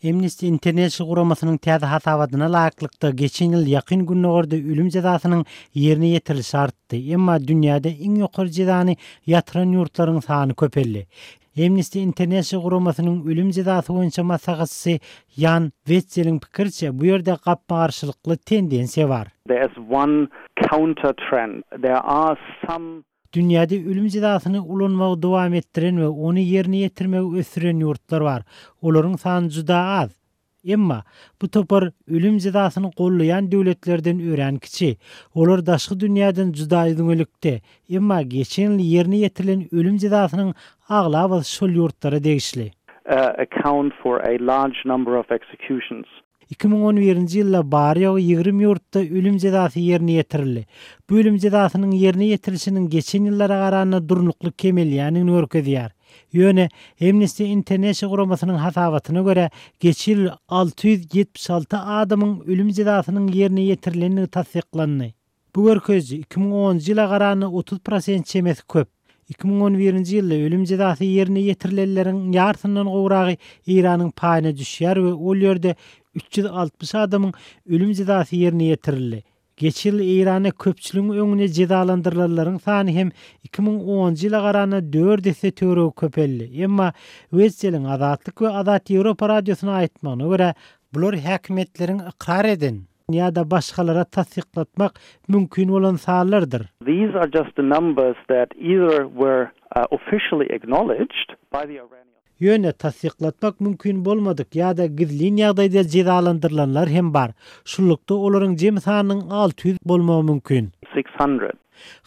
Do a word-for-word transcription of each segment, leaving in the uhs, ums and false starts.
Amnesty International guramasynyň täze hasabatyna laýyklykda geçen ýyl Ýakyn Gündogarda ölüm jezasynyň ýerine ýetirilişi artdy. Emma dünýäde iň ýokary jezany ýatyran ýurtlaryň sany köpeldi. Amnesty International guramasynyň ölüm jezasy boýunça maslahatçysy Ýan Wetseliň pikiriçe bu ýerde gapma-garşylykly tendensiýa bar. There is one counter trend. There are some Dünýäde ölüm jezasyny ulanmagy dowam etdiren we ony ýerine ýetirmegi ösdüren ýurtlar bar. Olaryň sany juda az. Emma bu topar ölüm jezasyny gollaýan döwletlerden örän kiçi. Olar daşky dünýäden juda üzňelikde. Emma geçen ýyl ýerine ýetirilen ölüm jezasynyň aglabasy şol ýurtlara degişli. uh, account for a large number of executions. iki müň on birinji ýylda bary-ýogy ýigrimi ýurtda ölüm jezasy ýerine ýetirildi. Bu ölüm jezasynyň ýerine ýetirilişiniň geçen ýyllara garanda durnukly kemelýändigini görkezýär. Ýöne Amnesty International guramasynyň hasabatyna görä geçen ýyl alty ýüz ýetmiş alty adamyň ölüm jezasynyň ýerine ýetirilendigi tassyklandy. Bu görkeziji iki müň onunjy ýyla garanda otuz prosent çemesi köp. iki müň on birinji ýylda ölüm jezasy ýerine ýetirilenleriň ýarysyndan gowragy Eýranyň paýyna düşýär we ol ýerde üç ýüz altmyş adamyň ölüm jezasy ýerine ýetirildi. Geçen ýyl Eýranda köpçüligiň öňünde jezalandyrylanlaryň sany hem iki müň onunjy ýyla garanda dört esse töweregi köpeldi. Emma Wetseliň Azatlyk we Azat Ýewropa radiosyna aýtmagyna görä, bular häkimiýetleriň ykrar eden ýa-da başgalara tassyklatmak mümkin bolan sanlardyr. These are just the numbers that either were, uh, officially acknowledged by the Iranian Ýöne tassyklatmak mümkin bolmadyk ýa-da gizlin ýagdaýda jezalandyrylanlar hem bar. Şunlukda olaryň jem sanynyň alty ýüz bolmagy mümkin. six hundred.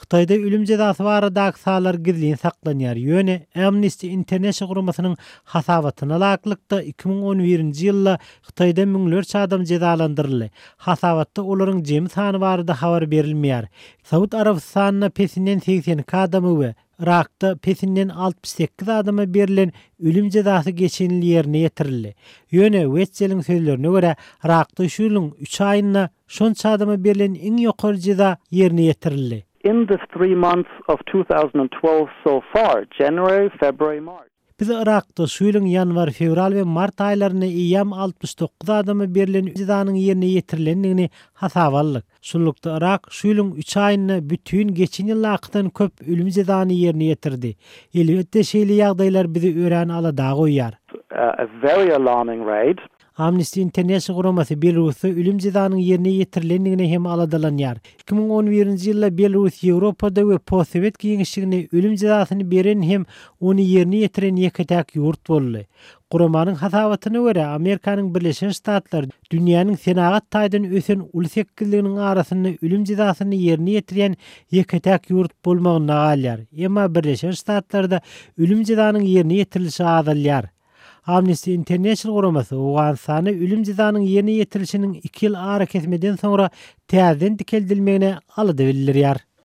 Hytaýda ölüm jezasy baradaky sanlar gizlin saklanýar. Ýöne Amnesty International guramasynyň hasabatyna laýyklykda iki müň on birinji ýylda Hytaýda müňlerçe adam jezalandyryldy. Hasabatda olaryň jemi sany barada habar berilmeýär. Saud Arabystanynda pesinden segsen iki adamy we Irakda pesinden altmyş sekiz adama berilen ölüm jezasy geçen ýyl ýerine ýetirildi. Ýöne Wetseliň sözlerine görä Irakda şu ýylyň üç aýynda şonça adama berilen iň ýokary jeza ýerine ýetirildi. In the three months of two thousand twelve so far, January, February, March. Biz Irakda şu ýylyň ýanwar, fewral we mart aýlarynda eýýäm altmyş dokuz adama berilen jezanyň ýerine ýetirilendigini hasaba aldyk. Şunlukda Irak şu ýylyň üç aýynda bütün geçen ýyldakydan köp ölüm jezany ýerine ýetirdi. Elbetde şeýle ýagdaýlar bizi örän alada goýýar. A very alarming rate. Amnesty International guramasy Belarusda ölüm jezanyň ýerine ýetirilendigine hem aladalanýar. iki müň on birinji ýylda Belarus Ýewropada we postsowet giňişliginde ölüm jezasyny beren hem ony ýerine ýetiren ýeke-täk ýurt boldy. Guramanyň hasabatyna görä Amerikanyň Birleşen Ştatlary dünýäniň senagat taýdan ösen uly sekizliginiň arasynda ölüm jezasyny ýerine ýetirýän ýeke-täk ýurt bolmagynda galýar. Emma Birleşen Ştatlarda ölüm jezanyň ýerine ýetirilişi azalýar. Amnesty International guramasy Owganystanda ölüm jezanyň ýerine ýetirilişiniň iki ýyl ara kesmeden soňra täzeden dikeldilmegine alada bildirýär.